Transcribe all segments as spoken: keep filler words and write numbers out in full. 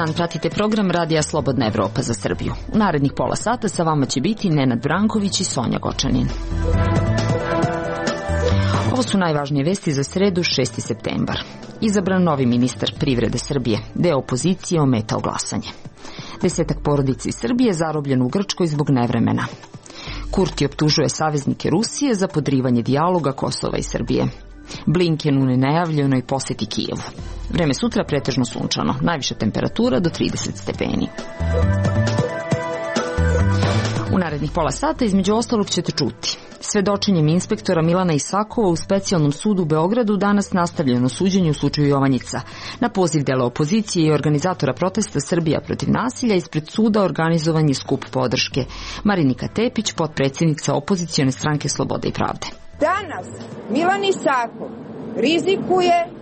dan, pratite program Radija Slobodna Evropa za Srbiju. U narednih pola sata sa vama će biti Nenad Branković i Sonja Gočanin. Ovo su najvažnije vesti za sredu, šesti septembar. Izabran novi ministar privrede Srbije, deo opozicije ometao glasanje. Desetak porodica iz Srbije zarobljen u Grčkoj zbog nevremena. Kurti optužuje saveznike Rusije za podrivanje dijaloga Kosova i Srbije. Blinken u nenajavljenoj poseti Kijevu. Vreme sutra pretežno sunčano, najviša temperatura do trideset stepeni. U narednih pola sata između ostalog ćete čuti. Svedočenjem inspektora Milana Isakova u specijalnom sudu u Beogradu danas nastavljeno suđenje u slučaju Jovanjica. Na poziv dela opozicije i organizatora protesta Srbija protiv nasilja ispred suda organizovan je skup podrške. Marinika Tepić, potpredsjednica opozicione stranke Slobode i pravde. Danas Milan Isakov rizikuje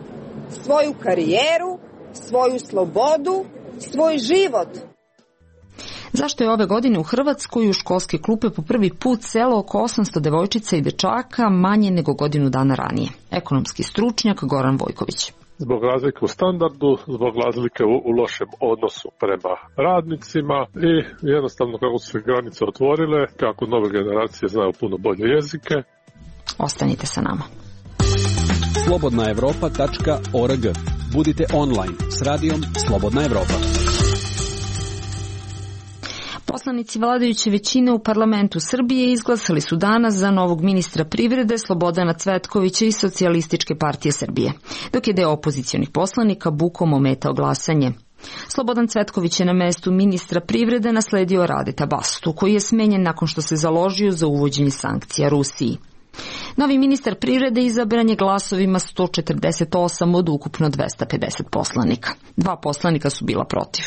svoju karijeru, svoju slobodu, svoj život. Zašto je ove godine u Hrvatskoj u školske klupe po prvi put selo oko osamsto devojčica i dečaka manje nego godinu dana ranije? Ekonomski stručnjak Goran Vojković. Zbog razlike u standardu, zbog razlike u, u lošem odnosu prema radnicima i jednostavno kako su se granice otvorile, kako nove generacije znaju puno bolje jezike. Ostanite sa nama. slobodna evropa tačka org. Budite online s radijom Slobodna Evropa. Poslanici vladajuće većine u parlamentu Srbije izglasali su danas za novog ministra privrede Slobodana Cvetkovića iz Socijalističke partije Srbije, dok je deo opozicionih poslanika bukom ometao glasanje. Slobodan Cvetković je na mestu ministra privrede nasledio Radeta Bastu, koji je smenjen nakon što se založio za uvođenje sankcija Rusiji. Novi ministar privrede izabran je glasovima sto četrdeset osam od ukupno dvesta pedeset poslanika. Dva poslanika su bila protiv.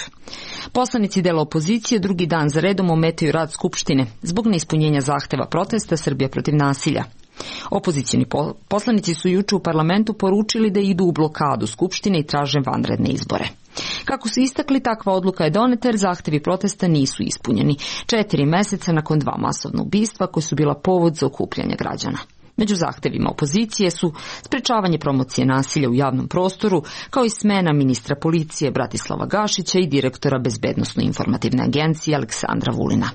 Poslanici dela opozicije drugi dan za redom ometaju rad Skupštine zbog neispunjenja zahteva protesta Srbija protiv nasilja. Opozicioni poslanici su juče u parlamentu poručili da idu u blokadu Skupštine i traže vanredne izbore. Kako su istakli, takva odluka je doneta jer zahtevi protesta nisu ispunjeni, četiri meseca nakon dva masovna ubistva koji su bila povod za okupljanje građana. Među zahtevima opozicije su sprečavanje promocije nasilja u javnom prostoru, kao i smena ministra policije Bratislava Gašića i direktora Bezbednosno-informativne agencije Aleksandra Vulina.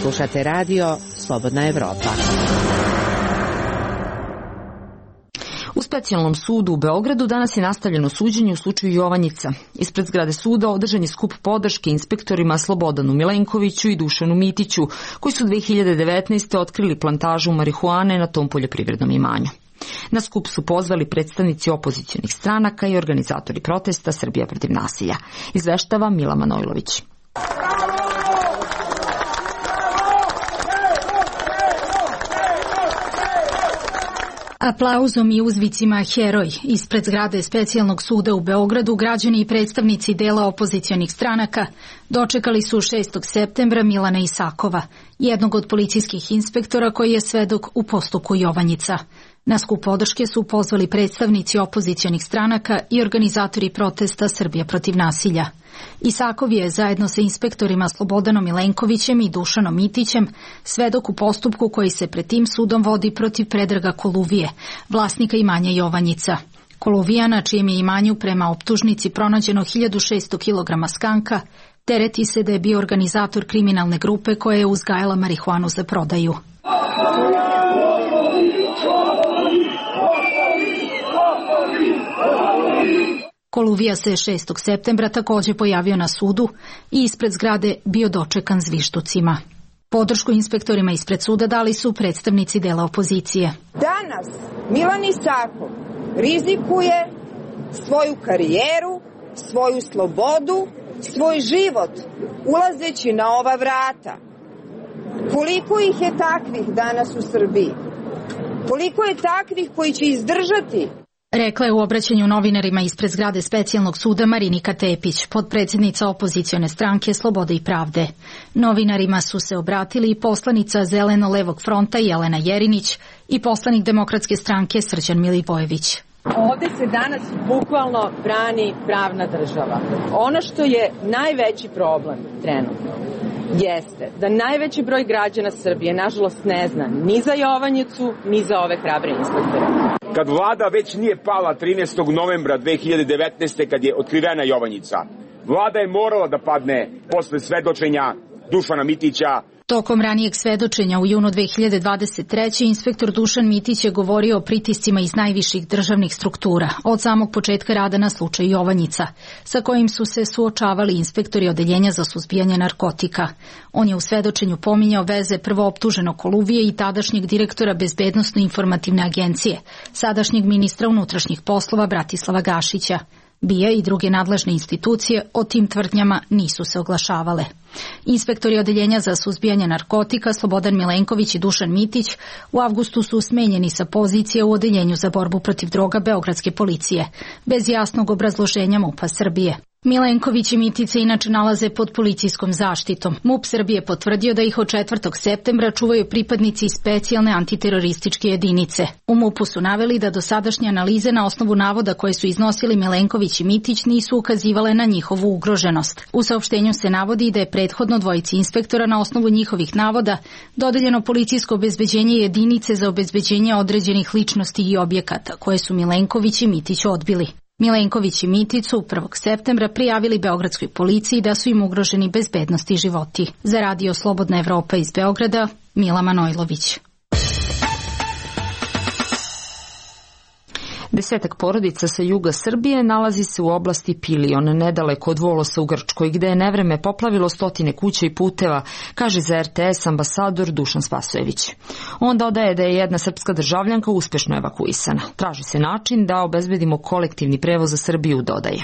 Slušate radio Slobodna Evropa. U specijalnom sudu u Beogradu danas je nastavljeno suđenje u slučaju Jovanjica. Ispred zgrade suda održan je skup podrške inspektorima Slobodanu Milenkoviću i Dušanu Mitiću, koji su dve hiljade devetnaeste. otkrili plantažu marihuane na tom poljoprivrednom imanju. Na skup su pozvali predstavnici opozicionih stranaka i organizatori protesta Srbija protiv nasilja. Izveštava Mila Manojlović. Aplauzom i uzvicima heroj ispred zgrade specijalnog suda u Beogradu građani i predstavnici dela opozicionih stranaka dočekali su šestog septembra Milana Isakova, jednog od policijskih inspektora koji je svedok u postupku Jovanjica. Na skup podrške su pozvali predstavnici opozicionih stranaka i organizatori protesta Srbija protiv nasilja. Isakov je zajedno sa inspektorima Slobodanom Milenkovićem i Dušanom Mitićem svedok u postupku koji se pred tim sudom vodi protiv Predraga Koluvije, vlasnika imanja Jovanjica. Koluvija, na čijem je imanju prema optužnici pronađeno hiljadu šesto kilograma skanka, tereti se da je bio organizator kriminalne grupe koja je uzgajala marihuanu za prodaju. Koluvija se šestog septembra također pojavio na sudu i ispred zgrade bio dočekan zvištucima. Podršku inspektorima ispred suda dali su predstavnici dela opozicije. Danas Milan Isakov rizikuje svoju karijeru, svoju slobodu, svoj život ulazeći na ova vrata. Koliko ih je takvih danas u Srbiji? Koliko je takvih koji će izdržati? Rekla je u obraćanju novinarima ispred zgrade specijalnog suda Marinika Tepić, potpredsjednica opozicione stranke Slobode i pravde. Novinarima su se obratili i poslanica Zeleno-levog fronta Jelena Jerinić i poslanik Demokratske stranke Srđan Milivojević. Ovde se danas bukvalno brani pravna država. Ono što je najveći problem trenutno jeste da najveći broj građana Srbije nažalost ne zna ni za Jovanjicu, ni za ove hrabre inspektore. Kad vlada već nije pala trinaestog novembra dve hiljade devetnaeste. kad je otkrivena Jovanjica, Vlada je morala da padne posle svedočenja Dušana Mitića. Tokom ranijeg svedočenja u junu dve hiljade dvadeset treće. inspektor Dušan Mitić je govorio o pritiscima iz najviših državnih struktura, od samog početka rada na slučaju Jovanjica, sa kojim su se suočavali inspektori Odeljenja za suzbijanje narkotika. On je u svedočenju pominjao veze prvooptuženog Koluvije i tadašnjeg direktora Bezbednosno-informativne agencije, sadašnjeg ministra unutrašnjih poslova Bratislava Gašića. B I A i druge nadležne institucije o tim tvrdnjama nisu se oglašavale. Inspektori Odeljenja za suzbijanje narkotika Slobodan Milenković i Dušan Mitić u avgustu su smenjeni sa pozicije u Odeljenju za borbu protiv droga Beogradske policije, bez jasnog obrazloženja MUP-a Srbije. Milenković i Mitić se inače nalaze pod policijskom zaštitom. MUP Srbije potvrdio da ih od četvrtog septembra čuvaju pripadnici specijalne antiterorističke jedinice. U MUP-u su naveli da dosadašnje analize na osnovu navoda koje su iznosili Milenković i Mitić nisu ukazivale na njihovu ugroženost. U saopštenju se navodi da je prethodno dvojici inspektora na osnovu njihovih navoda dodeljeno policijsko obezbeđenje jedinice za obezbeđenje određenih ličnosti i objekata, koje su Milenković i Mitić odbili. Milenković i Mitić su prvog septembra prijavili Beogradskoj policiji da su im ugroženi bezbednost i životi. Za radio Slobodna Evropa iz Beograda, Mila Manojlović. Desetak porodica sa juga Srbije nalazi se u oblasti Pilion, nedaleko od Volosa u Grčkoj, gde je nevreme poplavilo stotine kuća i puteva, kaže za R T S ambasador Dušan Spasojević. On dodaje da je jedna srpska državljanka uspešno evakuisana. Traži se način da obezbedimo kolektivni prevoz za Srbiju, dodaje.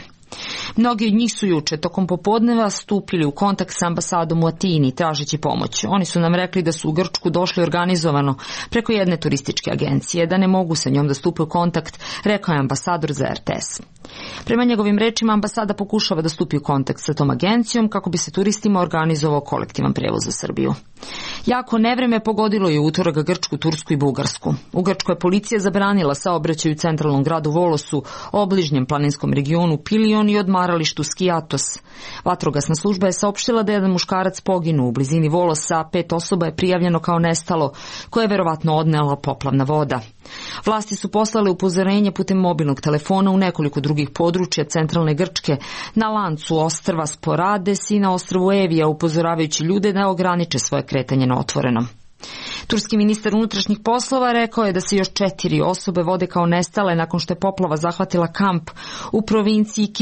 Mnogi od njih su juče tokom popodneva stupili u kontakt sa ambasadom u Atini tražeći pomoć. Oni su nam rekli da su u Grčku došli organizovano preko jedne turističke agencije, da ne mogu sa njom da stupe u kontakt, rekao je ambasador za R T S. Prema njegovim rečima, ambasada pokušava da stupi u kontakt sa tom agencijom kako bi se turistima organizovao kolektivan prevoz za Srbiju. Jako nevreme pogodilo je utorak Grčku, Tursku i Bugarsku. U Grčkoj je policija zabranila saobraćaj u centralnom gradu Volosu, obližnjem planinskom regionu Pilion i odmaralištu Skiatos. Vatrogasna služba je saopštila da je jedan muškarac poginuo u blizini Volosa, a pet osoba je prijavljeno kao nestalo, koje je verovatno odnela poplavna voda. Vlasti su poslale upozorenje putem mobilnog telefona u nekoliko drugih područja centralne Grčke, na lancu ostrva Sporades i na ostrvu Evija, upozoravajući ljude da ograniče svoje kretanje na otvorenom. Turski ministar unutrašnjih poslova rekao je da se još četiri osobe vode kao nestale nakon što je poplava zahvatila kamp u provinciji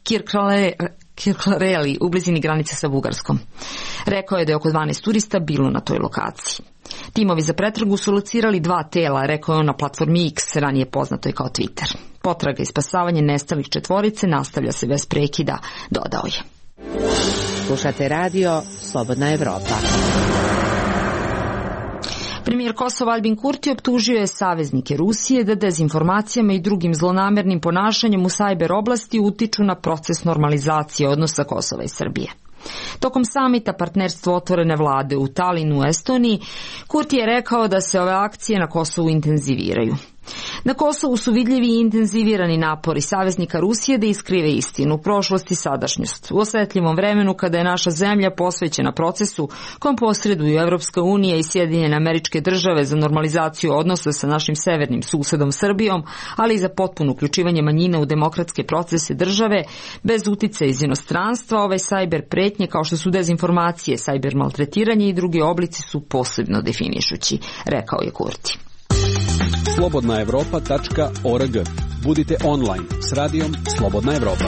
Kirklareli Kirklareli u blizini granice sa Bugarskom. Rekao je da je oko dvanaest turista bilo na toj lokaciji. Timovi za pretragu su locirali dva tela, rekao je on na platformi X, ranije poznatoj kao Twitter. Potraga i spasavanje nestalih četvorice nastavlja se bez prekida, dodao je. Slušate radio Slobodna Evropa. Premijer Kosova Albin Kurti optužio je saveznike Rusije da dezinformacijama i drugim zlonamernim ponašanjem u sajber oblasti utiču na proces normalizacije odnosa Kosova i Srbije. Tokom samita partnerstvo otvorene vlade u Talinu u Estoniji, Kurti je rekao da se ove akcije na Kosovu intenziviraju. Na Kosovu su vidljivi i intenzivirani napori saveznika Rusije da iskrive istinu, prošlost i sadašnjost. U osetljivom vremenu kada je naša zemlja posvećena procesu kom posreduju Evropska unija i Sjedinjene Američke Države za normalizaciju odnosa sa našim severnim susedom Srbijom, ali i za potpuno uključivanje manjina u demokratske procese države, bez uticaja iz inostranstva, ove sajber pretnje kao što su dezinformacije, sajber maltretiranje i drugi oblici su posebno definišući, rekao je Kurti. slobodna evropa tačka org. Budite online s radijom Slobodna Evropa.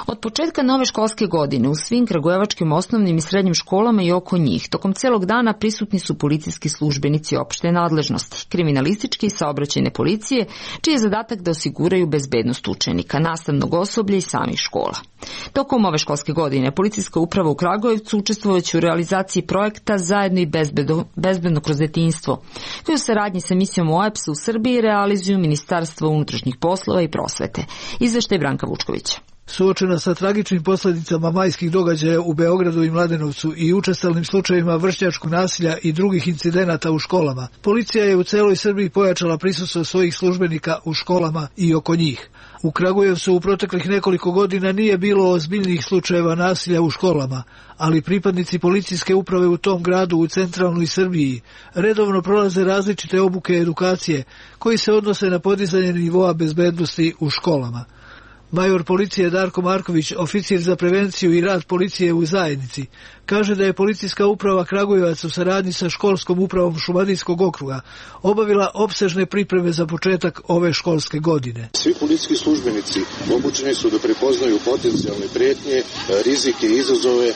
Od početka nove školske godine u svim kragujevačkim osnovnim i srednjim školama i oko njih tokom celog dana prisutni su policijski službenici opšte nadležnosti, kriminalističke i saobraćajne policije, čiji je zadatak da osiguraju bezbednost učenika, nastavnog osoblja i samih škola. Tokom ove školske godine policijska uprava u Kragujevcu učestvovaće u realizaciji projekta Zajedno i bezbedno, bezbedno kroz detinjstvo, koji u saradnji sa misijom O E P S u Srbiji realizuju Ministarstvo unutrašnjih poslova i prosvete. Izveštaj Branka Vučkovića. Suočena sa tragičnim posljedicama majskih događaja u Beogradu i Mladenovcu i učestalnim slučajevima vršnjačkog nasilja i drugih incidenata u školama, policija je u celoj Srbiji pojačala prisustvo svojih službenika u školama i oko njih. U Kragujevcu u proteklih nekoliko godina nije bilo ozbiljnih slučajeva nasilja u školama, ali pripadnici policijske uprave u tom gradu u centralnoj Srbiji redovno prolaze različite obuke edukacije koji se odnose na podizanje nivoa bezbednosti u školama. Major policije Darko Marković, oficir za prevenciju i rad policije u zajednici, kaže da je policijska uprava Kragujevac u saradnji sa školskom upravom Šumadijskog okruga obavila opsežne pripreme za početak ove školske godine. Svi policijski službenici obučeni su da prepoznaju potencijalne prijetnje, rizike i izazove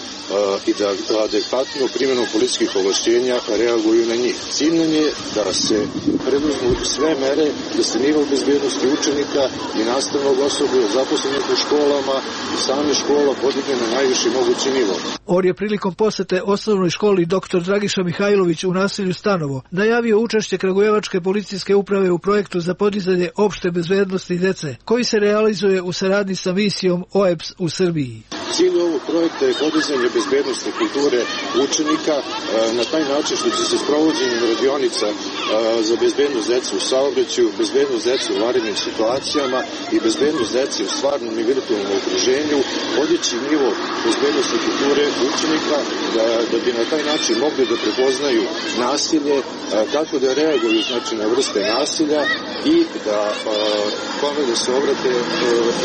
i da adekvatno primjenom policijskih ovlašćenja reaguju na njih. Cilj nam je da se preduzmu sve mere da se nivo bezbednosti učenika i nastavnog osoblja zaposlenih u školama i same škola podigne na najviši mogući nivo. Or je prilikom posete osnovnoj školi doktor Dragiša Mihajlović u naselju Stanovo najavio učešće Kragujevačke policijske uprave u projektu za podizanje opšte bezbednosti dece, koji se realizuje u saradnji sa misijom O E B S u Srbiji. Cilj ovog projekta je podizanje bezbednosti kulture učenika na taj način što će se sprovođenjem radionica za bezbednost dece u saobraćaju, bezbednost dece u vanrednim situacijama i bezbednost dece u stvarnom i virtualnom okruženju podići nivo bezbednosti kulture učenika da, da bi na taj način mogli da prepoznaju nasilje, kako da reaguju znači na vrste nasilja i da kome da se obrate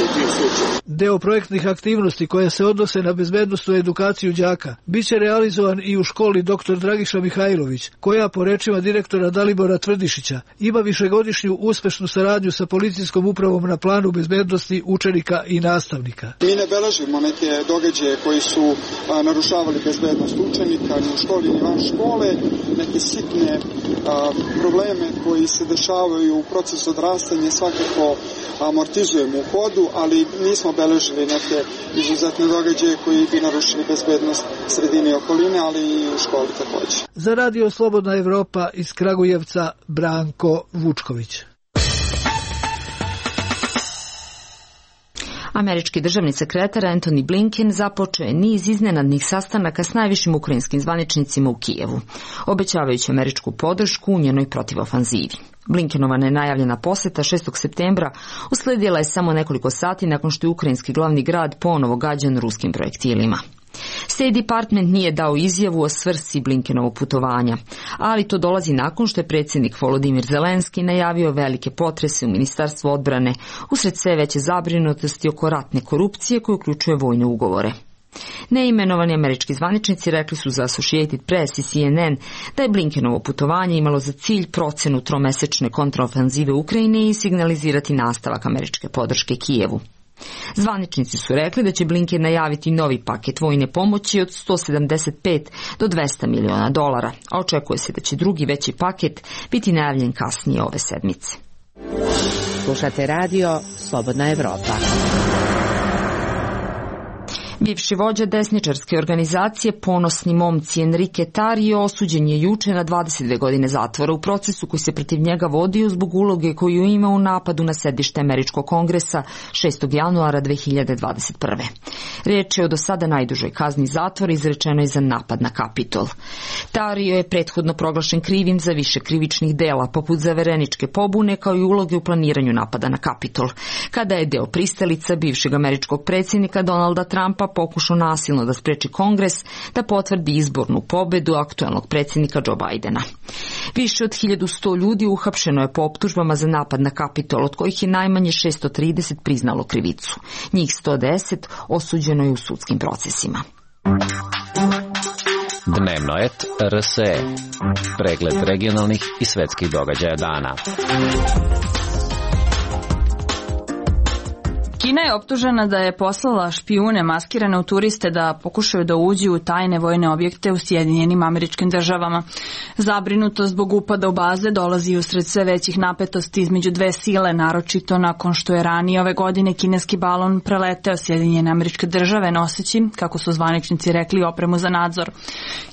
u tim slučajima. Deo projektnih aktivnosti koje se odnose na bezbednostnu edukaciju đaka biće realizovan i u školi doktor Dragiša Mihajlović, koja po rečima direktora Dalibora Tvrdišića ima višegodišnju uspešnu saradnju sa policijskom upravom na planu bezbednosti učenika i nastavnika. Mi ne beležimo neke događaje koji su a, narušavali bezbednost učenika ni u školi ni van škole, neke sitne a, probleme koji se dešavaju u procesu odrastanja svakako amortizujemo u hodu, ali nismo beležili neke izuzetne događaje koji bi narušili bezbednost sredine i okoline, ali i u školi također. Za Radio Slobodna Evropa iz Kragujevca, Branko Vučković. Američki državni sekretar Antony Blinken započeo je niz iznenadnih sastanaka s najvišim ukrajinskim zvaničnicima u Kijevu, obećavajući američku podršku u njenoj protivofanzivi. Blinkenova nenajavljena poseta šestog septembra usledila je samo nekoliko sati nakon što je ukrajinski glavni grad ponovo gađan ruskim projektilima. State Department nije dao izjavu o svrsi Blinkenovog putovanja, ali to dolazi nakon što je predsjednik Volodimir Zelenski najavio velike potrese u Ministarstvu odbrane usred sve veće zabrinutosti oko ratne korupcije koje uključuje vojne ugovore. Neimenovani američki zvaničnici rekli su za Associated Press i C N N da je Blinkenovo putovanje imalo za cilj procenu tromesečne kontraofanzive Ukrajine i signalizirati nastavak američke podrške Kijevu. Zvaničnici su rekli da će Blinken najaviti novi paket vojne pomoći od sto sedamdeset pet do dvesta miliona dolara, a očekuje se da će drugi veći paket biti najavljen kasnije ove sedmice. Slušate radio Slobodna Evropa. Bivši vođa desničarske organizacije Ponosni momci Enrique Tarrio osuđen je juče na dvadeset dve godine zatvora u procesu koji se protiv njega vodio zbog uloge koju ima u napadu na sedište Američkog kongresa šestog januara dve hiljade dvadeset prve. Riječ je o do sada najdužoj kazni zatvora izrečenoj za napad na Kapitol. Tarrio je prethodno proglašen krivim za više krivičnih dela, poput zavereničke pobune kao i uloge u planiranju napada na Kapitol, kada je deo pristalica bivšeg američkog predsjednika Donalda Trumpa pokušao nasilno da spreči Kongres da potvrdi izbornu pobedu aktuelnog predsjednika Joe Bidena. Više od hiljadu sto ljudi uhapšeno je po optužbama za napad na Kapitol, od kojih je najmanje šesto trideset priznalo krivicu. Njih sto deset osuđeno je u sudskim procesima. Dnevno et R S E. Pregled regionalnih i svetskih događaja dana. Kina je optužena da je poslala špijune maskirane u turiste da pokušaju da uđu u tajne vojne objekte u Sjedinjenim Američkim Državama. Zabrinutost zbog upada u baze dolazi usred sve većih napetosti između dve sile, naročito nakon što je ranije ove godine kineski balon preleteo Sjedinjene Američke Države noseći, kako su zvaničnici rekli, opremu za nadzor.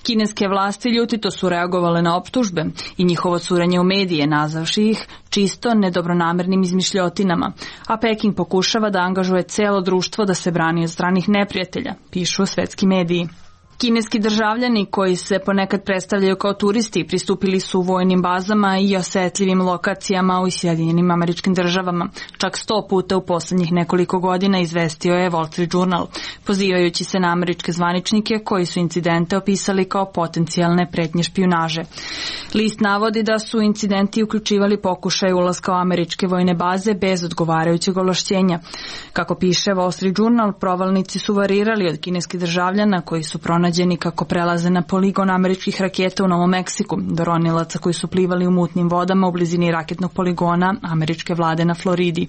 Kineske vlasti ljutito su reagovale na optužbe i njihovo curenje u medije, nazavši ih čisto nedobronamernim izmišljotinama, a Peking pokušava da angažuje celo društvo da se brani od stranih neprijatelja, pišu svetski mediji. Kineski državljani koji se ponekad predstavljaju kao turisti pristupili su vojnim bazama i osetljivim lokacijama u Sjedinjenim Američkim Državama. Čak sto puta u poslednjih nekoliko godina, izvestio je Wall Street Journal, pozivajući se na američke zvaničnike koji su incidente opisali kao potencijalne pretnje špijunaže. List navodi da su incidenti uključivali pokušaj ulaska u američke vojne baze bez odgovarajućeg ovlašćenja. Kako piše Wall Street Journal, provalnici su varirali od kineskih državljana koji su pronađeni kako prelaze na poligon američkih raketa u Novom Meksiku, do ronilaca koji su plivali u mutnim vodama u blizini raketnog poligona američke vlade na Floridi.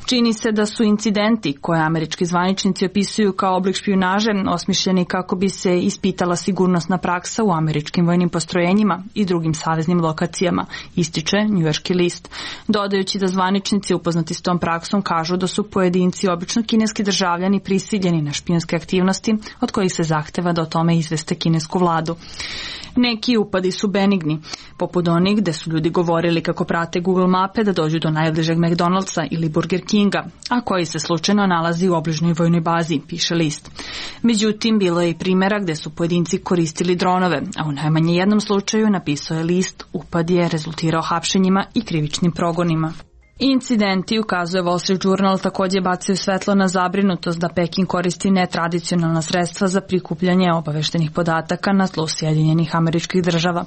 Čini se da su incidenti koje američki zvaničnici opisuju kao oblik špijunaže osmišljeni kako bi se ispitala sigurnosna praksa u američkim vojnim postrojenjima i drugim saveznim lokacijama, ističe njujorški list, dodajući da zvaničnici upoznati s tom praksom kažu da su pojedinci, obično kineski državljani, prisiljeni na špijunske aktivnosti od kojih se zahteva da o tome izveste kinesku vladu. Neki upadi su benigni, poput onih gde su ljudi govorili kako prate Google mape da dođu do najbližeg McDonald'sa ili Burger Kinga, a koji se slučajno nalazi u obližnjoj vojnoj bazi, piše list. Međutim, bilo je i primjera gde su pojedinci koristili dronove, a u najmanje jednom slučaju, napisao je list, upad je rezultirao hapšenjima i krivičnim progonima. Incidenti, ukazuje Wall Street Journal, takođe bacaju svetlo na zabrinutost da Peking koristi netradicionalna sredstva za prikupljanje obaveštenih podataka na tlu Sjedinjenih Američkih Država.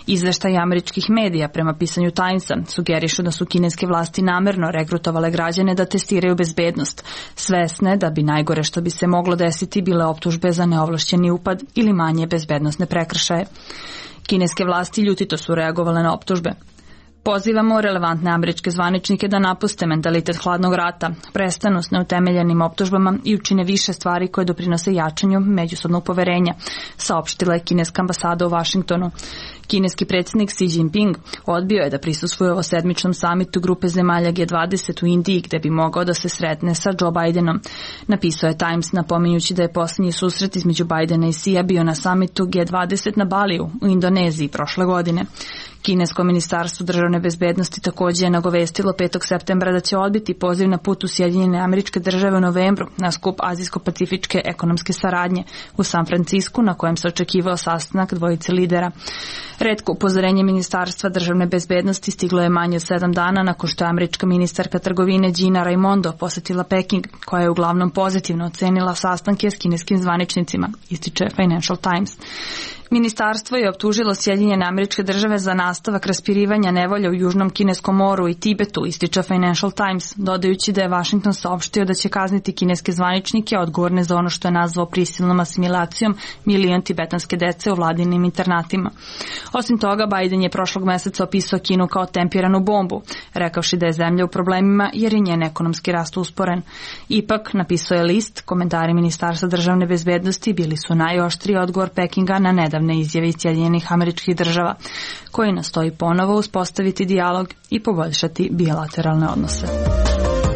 Izveštaj američkih medija prema pisanju Timesa sugerišu da su kineske vlasti namerno regrutovale građane da testiraju bezbednost, svesne da bi najgore što bi se moglo desiti bile optužbe za neovlašćeni upad ili manje bezbednosne prekršaje. Kineske vlasti ljutito su reagovale na optužbe. Pozivamo relevantne američke zvaničnike da napuste mentalitet hladnog rata, prestanu s neutemeljenim optužbama i učine više stvari koje doprinose jačanju međusobnog poverenja, saopštila je kineska ambasada u Vašingtonu. Kineski predsjednik Xi Jinping odbio je da prisustvuje ovo sedmičnom samitu grupe zemalja G dvadeset u Indiji, gde bi mogao da se sretne sa Joe Bidenom. Napisao je Times, napominjući da je posljednji susret između Bidena i Xija bio na samitu G dvadeset na Baliju u Indoneziji prošle godine. Kinesko ministarstvo državne bezbednosti takođe je nagovestilo petog septembra da će odbiti poziv na put u Sjedinjene Američke Države u novembru na skup Azijsko-pacifičke ekonomske saradnje u San Francisku, na kojem se očekivao sastanak dvojice lidera. Retko upozorenje ministarstva državne bezbednosti stiglo je manje od sedam dana nakon što je američka ministarka trgovine Gina Raimondo posetila Peking, koja je uglavnom pozitivno ocenila sastanke s kineskim zvaničnicima, ističe Financial Times. Ministarstvo je optužilo Sjedinjene Američke Države za nastavak raspirivanja nevolja u Južnom Kineskom moru i Tibetu, ističe Financial Times, dodajući da je Washington saopštio da će kazniti kineske zvaničnike odgovorne za ono što je nazvao prisilnom asimilacijom milion tibetanske dece u vladinim internatima. Osim toga, Biden je prošlog meseca opisao Kinu kao tempiranu bombu, rekavši da je zemlja u problemima jer je njen ekonomski rast usporen. Ipak, napisao je list, komentari Ministarstva državne bezbednosti bili su najoštriji odgovor Pekinga na nedavne izjave iz Sjedinjenih Američkih Država, koji nastoji ponovo uspostaviti dijalog i poboljšati bilateralne odnose.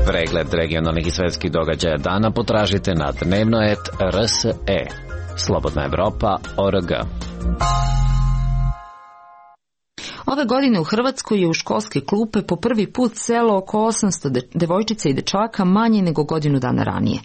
Pregled regionalnih i svetskih događaja dana potražite na dnevnoet R S E. Slobodna Evropa O R G. Ove godine u Hrvatskoj je u školske klupe po prvi put selo oko osamsto devojčica i dečaka manje nego godinu dana ranije.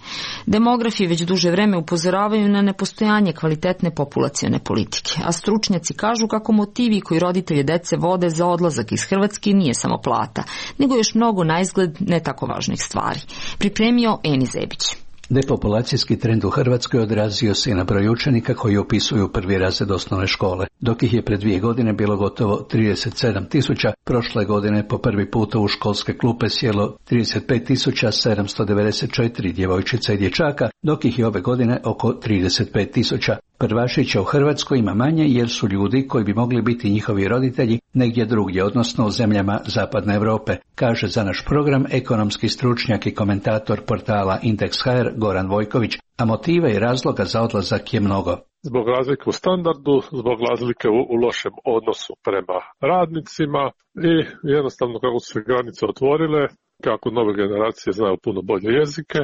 Demografi već duže vreme upozoravaju na nepostojanje kvalitetne populacione politike, a stručnjaci kažu kako motivi koji roditelje dece vode za odlazak iz Hrvatske nije samo plata, nego još mnogo naizgled ne tako važnih stvari. Pripremio Eni Zebić. Depopulacijski trend u Hrvatskoj odrazio se i na broj učenika koji upisuju prvi razred osnovne škole. Dok ih je pred dvije godine bilo gotovo trideset sedam tisuća, prošle godine po prvi puta u školske klupe sjelo trideset pet tisuća sedamsto devedeset četiri djevojčica i dječaka, dok ih je ove godine oko trideset pet tisuća. Prvašića u Hrvatskoj ima manje jer su ljudi koji bi mogli biti njihovi roditelji negdje drugdje, odnosno u zemljama Zapadne Europe, kaže za naš program ekonomski stručnjak i komentator portala Indeks H R Goran Vojković, a motiva i razloga za odlazak je mnogo. Zbog razlike u standardu, zbog razlike u, u lošem odnosu prema radnicima i jednostavno kako su se granice otvorile, kako nove generacije znaju puno bolje jezike,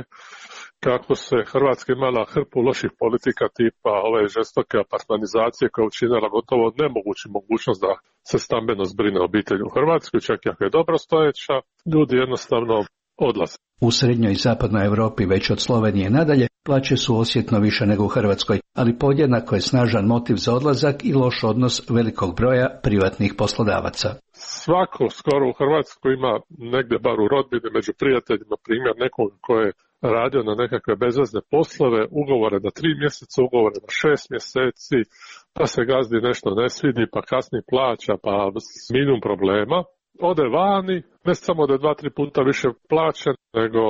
kako se Hrvatska imala hrpu loših politika tipa ove žestoke apartmanizacije koja je učinila gotovo nemogući mogućnost da se stambeno zbrine obitelj u Hrvatskoj, čak i ako je dobro stojeća, ljudi jednostavno odlaze. U srednjoj i zapadnoj Europi već od Slovenije nadalje plaće su osjetno više nego u Hrvatskoj, ali podjednako je snažan motiv za odlazak i loš odnos velikog broja privatnih poslodavaca. Svako skoro u Hrvatskoj ima negdje bar u rodbini među prijateljima primjer nekog ko je radio na nekakve bezvezne poslove, ugovore na tri mjeseca, ugovore na šest mjeseci, pa se gazdi nešto ne svidi, pa kasni plaća, pa minimum problema. Ode vani, ne samo da je dva, tri puta više plaćen, nego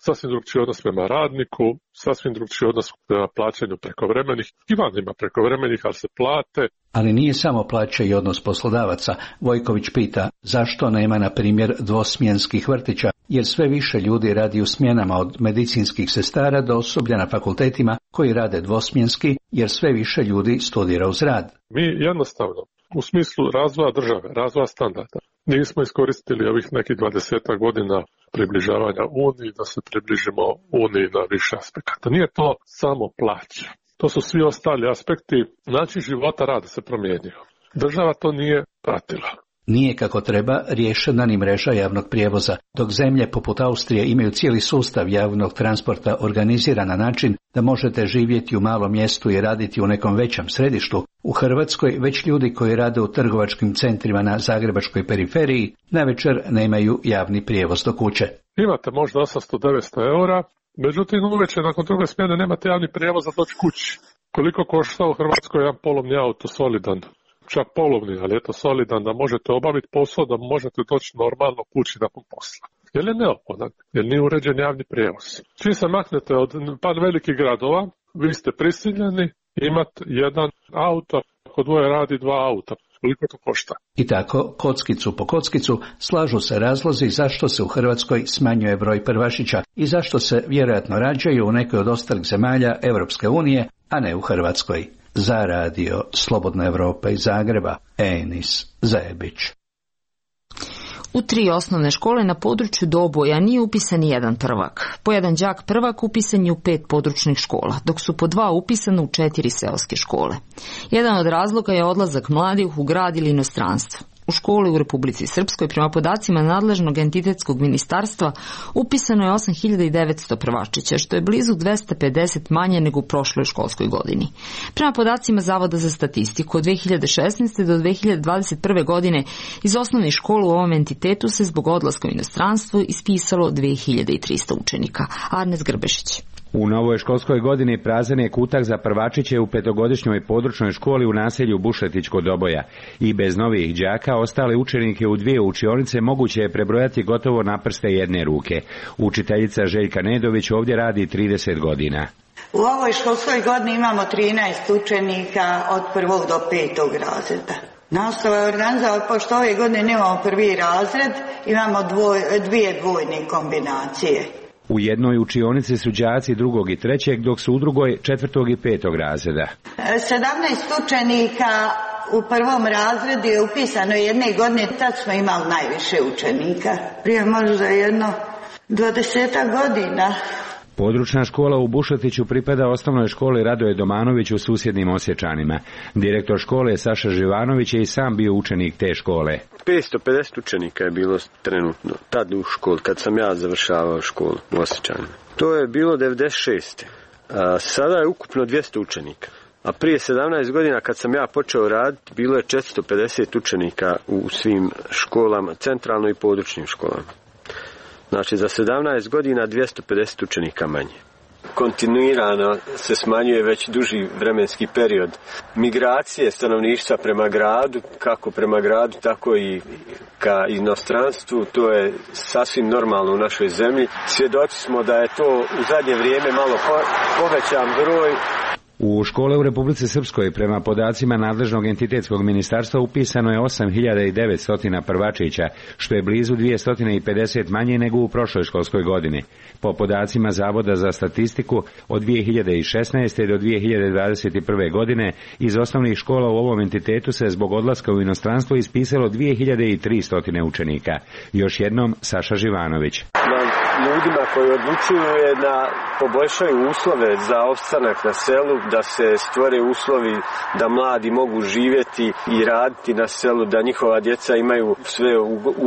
sasvim drugčiji odnos prema radniku, sasvim drugčiji odnos prema plaćanju prekovremenih. I van ima prekovremenih, ali se plate. Ali nije samo plaća i odnos poslodavaca. Vojković pita zašto nema, na primjer, dvosmjenskih vrtića, jer sve više ljudi radi u smjenama, od medicinskih sestara do osoblja na fakultetima koji rade dvosmjenski, jer sve više ljudi studira uz rad. Mi jednostavno, u smislu razvoja države, razvoja standarda, nismo iskoristili ovih nekih dvadesetak godina približavanja Uniji da se približimo Uniji na više aspekata. Nije to samo plaća. To su svi ostali aspekti. Način života rada se promijenio. Država to nije pratila. Nije kako treba riješena ni mreža javnog prijevoza, dok zemlje poput Austrije imaju cijeli sustav javnog transporta organiziran na način da možete živjeti u malom mjestu i raditi u nekom većem središtu. U Hrvatskoj već ljudi koji rade u trgovačkim centrima na zagrebačkoj periferiji navečer nemaju javni prijevoz do kuće. Imate možda osamsto do devetsto eura, međutim uveče nakon druge smjene nemate javni prijevoz za doći kući. Koliko košta u Hrvatskoj jedan polovni auto solidan? Čak polovni, ali je to solidan da možete obaviti posao, da možete doći normalno kući nakon posla. Jer je neophodan, jer nije uređen javni prijevoz. Čim se maknete od par velikih gradova, vi ste prisiljeni imati jedan auto, ako dvoje radi dva auta. Koliko to košta? I tako, kockicu po kockicu, slažu se razlozi zašto se u Hrvatskoj smanjuje broj prvašića i zašto se vjerojatno rađaju u nekoj od ostalih zemalja Europske unije, a ne u Hrvatskoj. Za radio Slobodna Evropa iz Zagreba, Enis Zajebić. U tri osnovne škole na području Doboja nije upisan jedan prvak. Po jedan đak prvak upisan je u pet područnih škola, dok su po dva upisane u četiri seoske škole. Jedan od razloga je odlazak mladih u grad ili inostranstvo. U školi u Republici Srpskoj, prema podacima nadležnog entitetskog ministarstva, upisano je osam hiljada devetsto prvačića, što je blizu dvesta pedeset manje nego u prošloj školskoj godini. Prema podacima Zavoda za statistiku, od dve hiljade šesnaeste. do dve hiljade dvadeset prve. godine iz osnovnih škola u ovom entitetu se zbog odlaska u inostranstvo ispisalo dve hiljade tristo učenika. Arnes Grbešić. U novoj školskoj godini prazan je kutak za prvačiće u petogodišnjoj područnoj školi u naselju Bušetić kod Doboja. I bez novih đaka ostale učenike u dvije učionice moguće je prebrojati gotovo na prste jedne ruke. Učiteljica Željka Nedović ovdje radi trideset godina. U ovoj školskoj godini imamo trinaest učenika od prvog do petog razreda. Nastava je organizovana, pošto ove godine nemamo prvi razred, imamo dvoj, dvije dvojne kombinacije. U jednoj učionici su đaci drugog i trećeg, dok su u drugoj četvrtog i petog razreda. sedamnaest učenika u prvom razredu je upisano jedne godine, tad smo imali najviše učenika. Prije možda jedno dvadesetak godina. Područna škola u Bušetiću pripada osnovnoj školi Radoje Domanović u susjednim Osječanima. Direktor škole Saša Živanović je i sam bio učenik te škole. petsto pedeset učenika je bilo trenutno tad u školi, kad sam ja završavao školu u Osječanima. To je bilo devedeset šeste. A sada je ukupno dvjesto učenika. A prije sedamnaest godina kad sam ja počeo raditi, bilo je četiristo pedeset učenika u svim školama, centralno i područnim školama. Znači za sedamnaest godina dvjesto pedeset učenika manje. Kontinuirano se smanjuje već duži vremenski period. Migracije stanovništva prema gradu, kako prema gradu, tako i ka inostranstvu, to je sasvim normalno u našoj zemlji. Svjedoci smo da je to u zadnje vrijeme malo povećan broj. U škole u Republici Srpskoj, prema podacima nadležnog entitetskog ministarstva, upisano je osam hiljada devetsto prvačića, što je blizu dvjesto pedeset manje nego u prošloj školskoj godini. Po podacima Zavoda za statistiku, od dvije hiljade šesnaeste. do dvije hiljade dvadeset prve. godine iz osnovnih škola u ovom entitetu se zbog odlaska u inostranstvo ispisalo dvije hiljade tristo učenika. Još jednom Saša Živanović. ljudima koji odlučuju je da poboljšaju uslove za opstanak na selu, da se stvore uslovi da mladi mogu živjeti i raditi na selu, da njihova djeca imaju sve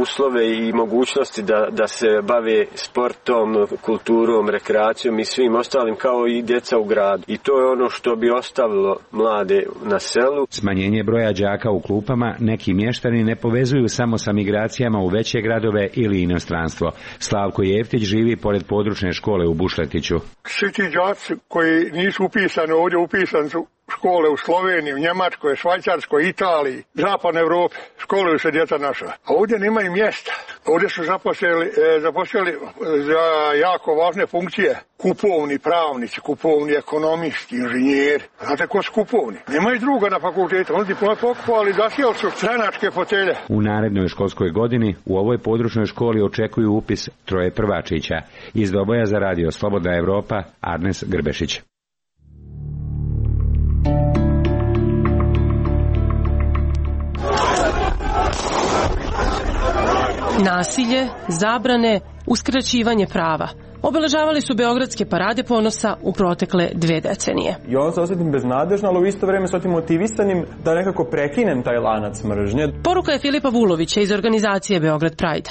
uslove i mogućnosti da, da se bave sportom, kulturom, rekreacijom i svim ostalim kao i djeca u gradu. I to je ono što bi ostavilo mlade na selu. Smanjenje broja đaka u klupama neki mještani ne povezuju samo sa migracijama u veće gradove ili inostranstvo. Slavko Jeftić živi pored područne škole u Bušletiću. Svi ti đaci koji nisu upisani ovdje, upisani su škole u Sloveniji, u Njemačkoj, Švajcarskoj, Italiji, Zapadnoj Evropi, školuju se djeca naša. A ovdje nemaju mjesta. Ovdje su zaposlili, e, zaposlili za jako važne funkcije kupovni pravnici, kupovni ekonomisti, inženjeri. Znate ko su kupovni? Nemaju druga na fakultetu. Oni diplome pokupovali, zasijali su stranačke fotelje. U narednoj školskoj godini u ovoj područnoj školi očekuju upis troje prvačića. Iz Doboja za radio Slobodna Evropa, Arnes Grbešić. Nasilje, zabrane, uskraćivanje prava obeležavali su beogradske parade ponosa u protekle dve decenije. I onda se osjetim beznadežno, ali u isto vreme se osjetim motivisanim da nekako prekinem taj lanac mržnje. Poruka je Filipa Vulovića iz organizacije Beograd Pride.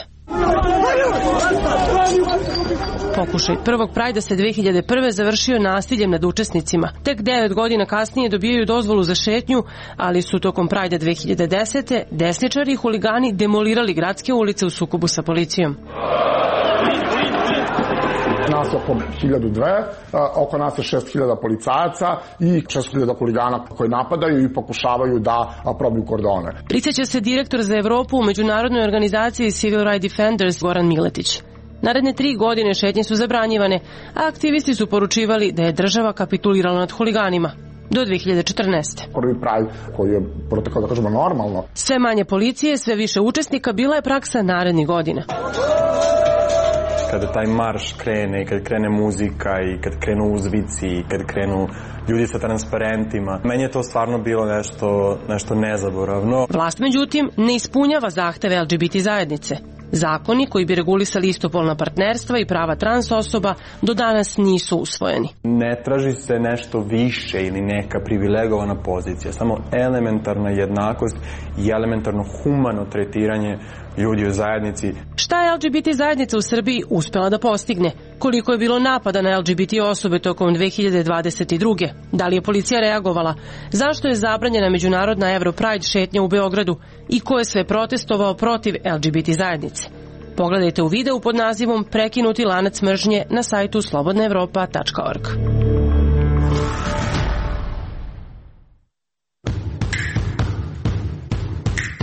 Pokušaj prvog Prajda se dve hiljade prve završio nasiljem nad učesnicima. Tek devet godina kasnije dobijaju dozvolu za šetnju, ali su tokom Prajda dve hiljade desete desničari i huligani demolirali gradske ulice u sukobu sa policijom. Nas je oko hiljadu dve, oko nas je šest hiljada policajaca i šest hiljada huligana koji napadaju i pokušavaju da probiju kordone. Prisjeća se direktor za Evropu u međunarodnoj organizaciji Civil Rights Defenders Goran Miletić. Naredne tri godine šetnje su zabranjivane, a aktivisti su poručivali da je država kapitulirala nad huliganima. Do dve hiljade četrnaeste. Prvi Pride koji je protekao, da kažemo, normalno. Sve manje policije, sve više učesnika bila je praksa narednih godina. Kada taj marš krene i kad krene muzika i kad krenu uzvici i kad krenu ljudi sa transparentima, meni je to stvarno bilo nešto, nešto nezaboravno. Vlast, međutim, ne ispunjava zahteve el ge be te zajednice. Zakoni koji bi regulisali istopolna partnerstva i prava trans osoba do danas nisu usvojeni. Ne traži se nešto više ili neka privilegovana pozicija, samo elementarna jednakost i elementarno humano tretiranje ljudi u zajednici. Šta je el ge be te zajednica u Srbiji uspela da postigne? Koliko je bilo napada na el ge be te osobe tokom dve hiljade dvadeset druge? Da li je policija reagovala? Zašto je zabranjena međunarodna Euro Pride šetnja u Beogradu? I ko je sve protestovao protiv el ge be te zajednice? Pogledajte u videu pod nazivom Prekinuti lanac mržnje na sajtu slobodna evropa tačka org.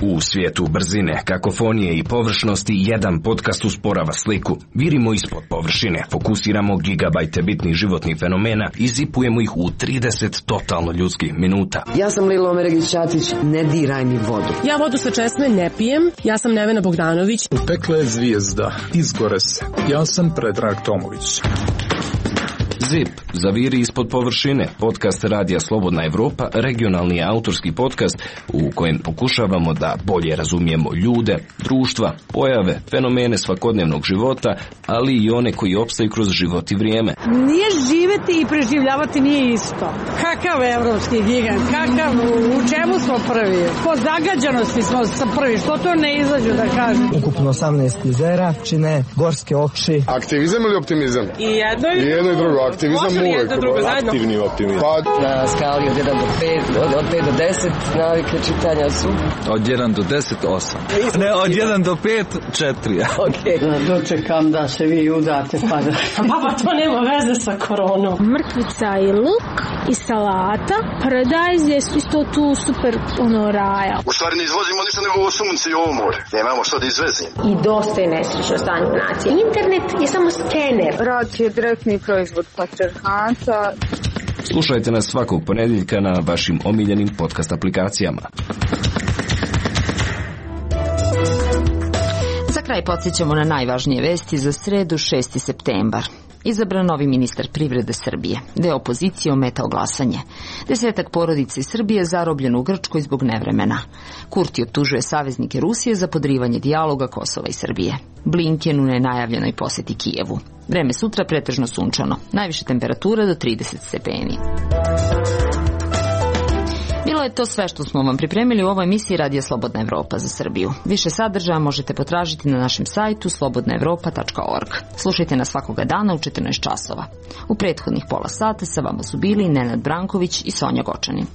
U svijetu brzine, kakofonije i površnosti jedan podcast usporava sliku. Virimo ispod površine, fokusiramo gigabajte bitnih životnih fenomena i zipujemo ih u trideset totalno ljudskih minuta. Ja sam Lilo Omeregić-Ćatić, ne diraj mi vodu. Ja vodu sa česme ne pijem, ja sam Nevena Bogdanović. Upekla je zvijezda, izgore se. Ja sam Predrag Tomović. Zip, zaviri ispod površine, podcast Radija Slobodna Evropa, regionalni autorski podcast u kojem pokušavamo da bolje razumijemo ljude, društva, pojave, fenomene svakodnevnog života, ali i one koji opstaju kroz život i vrijeme. Nije živeti i preživljavati nije isto. Kakav evropski gigant, kakav, u čemu smo prvi? Po zagađanosti smo sa prvi, što to ne izađu da kažem. Ukupno osamnaest jezera čine gorske oči. Aktivizam ili optimizam? I jedno i, I jedno i drugo. Aktivizam uvijek. Aktivni optimizam. Pa na skali od jedan do pet, od, od pet do deset navike čitanja su. Od jedan do deset, osam. Ne, od jedan do pet, četiri. Okej. Okay. Dočekam da se vi udate pa da... Baba, to nema veze sa koronom. Mrkvica i luk i salata. Paradajz je isto tu super ono raja. U stvari ne izvozimo ništa nego ovo sunce i ovo more. Nemamo što da izvezimo. I dosta je nesrećno stanje u naciji. Internet je samo skener. Rad je direktni proizvod patrijarhata. Slušajte nas svakog ponedjeljka na vašim omiljenim podcast aplikacijama. Za kraj kraj podsjećamo na najvažnije vesti za sredu šesti septembar. Izabran novi ministar privrede Srbije. Deo opozicije ometao glasanje. Desetak porodica iz Srbije zarobljen u Grčkoj zbog nevremena. Kurti optužuje saveznike Rusije za podrivanje dijaloga Kosova i Srbije. Blinken u nenajavljenoj poseti Kijevu. Vreme sutra pretežno sunčano. Najviše temperatura do trideset stepeni. Bilo je to sve što smo vam pripremili u ovoj emisiji Radija Slobodna Evropa za Srbiju. Više sadržaja možete potražiti na našem sajtu slobodna evropa tačka org. Slušajte nas svakoga dana u četrnaest časova. U prethodnih pola sata sa vama su bili Nenad Branković i Sonja Gočanin.